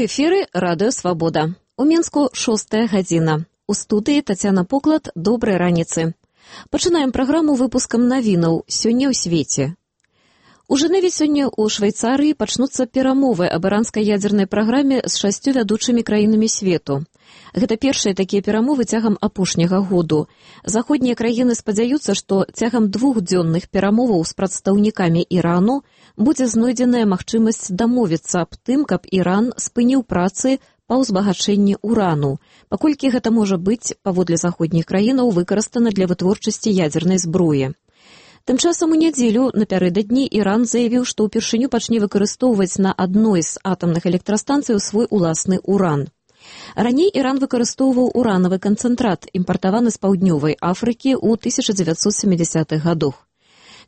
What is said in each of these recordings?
эфіры радыё «Свабода». У Мінску 6 гадзіна. У студыі Тацяна Поклад. Добрай раніцы. Пачынаем праграму выпускам навінаў «Сёння ў свеце». У Жэневе сёння ў Швейцарыі пачнуцца перамовы аб іранскай ядзернай праграме з 6 вядучымі краінамі свету. Гэта першыя такія перамовы цягам апошняга году. Заходнія краіны спадзяюцца, што цягам двухдзённых перамоваў з прадстаўнікамі Ірану будзе знойдзеная магчымасць дамовіцца аб тым, каб Іран спыніў працы па ўзбагачэнні урану, паколькі гэта можа быць, паводле заходніх краінаў, выкарыстана для вытворчасці ядзернай зброі. Тым часам у нядзелю напярэдадні Іран заявіў, што ўпершыню пачне выкарыстоўваць на адной з атамных электрастанцый свой уласны уран. Раней Іран выкарыстоўваў уранавы канцэнтрат, імпартаваны з паўднёвай Афрыкі ў 1970-х гадах.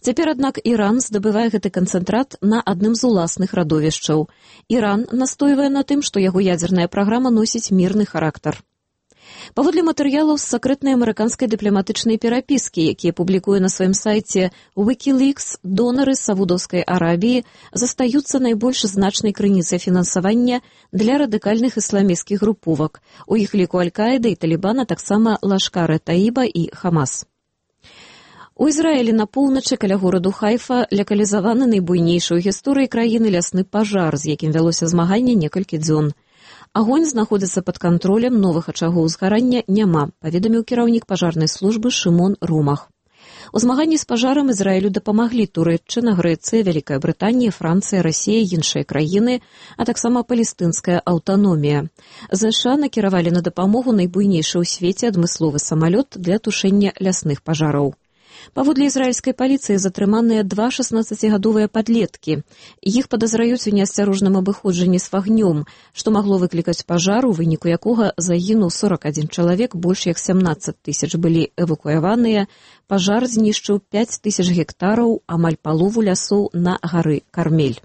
Цяпер, аднак, Іран здабывае гэты канцэнтрат на адным з уласных радовішчаў. Іран настойвае на тым, што яго ядзерная праграма носіць мірны характар. Паводле матэрыялаў з сакрэтнай амерыканскай дыпламатычнай перапіскі, якія публікуе на сваім сайце Wikileaks, донары з Саудаўскай Арабіі застаюцца найбольш значнай крыніцай фінансавання для радыкальных ісламісцкіх груповак. У іх ліку Аль-Каіда і Талібана, таксама Лашкар-э-Таіба і Хамас. У Ізраілі на поўначы каля гораду Хайфа лакалізаваны найбуйнейшы ў гісторыі краіны лясны пажар, з якім вялося змаганне некалькі дзён. Агонь знаходзіцца пад кантролем, новых ачагоў узгарання няма, паведаміў кіраўнік пажарнай службы Шымон Румах. У змаганні з пажарам Ізраілю дапамаглі Турэччына, Грэцыя, Вялікая Брытанія, Францыя, Расія, іншыя краіны, а таксама палестынская аўтаномія. ЗША накіравалі на дапамогу найбуйнейшы ў свеце адмысловы самалёт для тушэння лясных пажараў. Паводле ізраільскай паліцыі затрыманыя 2 16-гадовыя падлеткі. Іх падазраюць у неасцярожным абыходжанні з вагнём, што магло выклікаць пажар, у выніку якога загінуў 41 чалавек, больш як 17 000 былі эвакуяваныя. Пажар знішчыў 5000 гектараў, амаль палову лясоў на гары Кармель.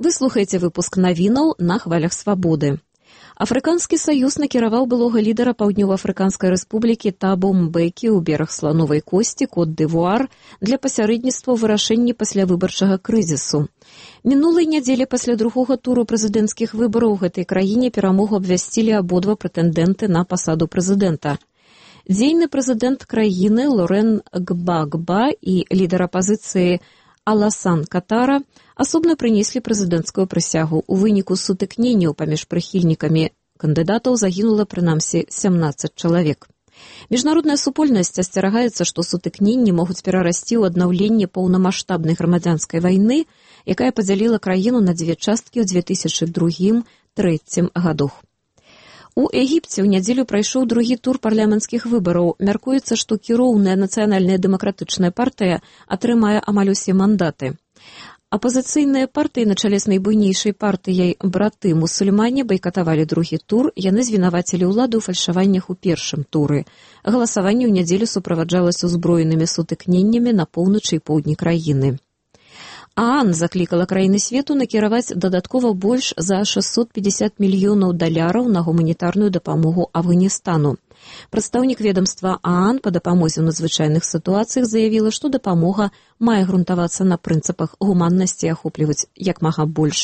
Вы слухаеце выпуск навінаў на хвалях «Свабоды». Афрыканскі саюз накіраваў былога лідара Паўднёва-Афрыканскай рэспублікі Табо Мбекі ў бераг слановай косці, Кот-д'Івуар, для пасярэдніцтва ў вырашэнні паслявыбарчага крызісу. Мінулай нядзелі пасля другога туру прэзідэнцкіх выбараў у гэтай краіне перамогу абвясцілі абодва прэтэндэнты на пасаду прэзідэнта. Дзейны прэзідэнт краіны Лорен Гбагба і лідар апазіцыі Аласан Катара асобна прынеслі прэзідэнцкую прысягу. У выніку сутыкненняў паміж прыхільнікамі кандыдатаў загінула прынамсі 17 чалавек. Міжнародная супольнасць асцерагаецца, што сутыкненні могуць перарасці ў аднаўленне паўнамаштабнай грамадзянскай вайны, якая падзяліла краіну на дзве часткі ў 2002-2003 годах. У Егіпце ў нядзелю прайшоў другі тур парламенцкіх выбараў. Мяркуецца, што кіроўная нацыянальная дэмакратычная партыя атрымае амаль усе мандаты. Апазіцыйныя партыі на чале з найбуйнейшай партыяй «Браты мусульмане» байкатавалі другі тур, яны звінавацілі ўладу ў фальшаваннях у першым туры. Галасаванне ў нядзелю суправаджалася ўзброенымі сутыкненнямі на поўначы і поўдні краіны. ААН заклікала краіны свету накіраваць дадаткова больш за $650 мільёнаў на гуманітарную дапамогу Афганістану. Прадстаўнік ведамства ААН па дапамозе ў надзвычайных сітуацыях заявіла, што дапамога мае грунтавацца на прынцыпах гуманнасці і ахопліваць як мага больш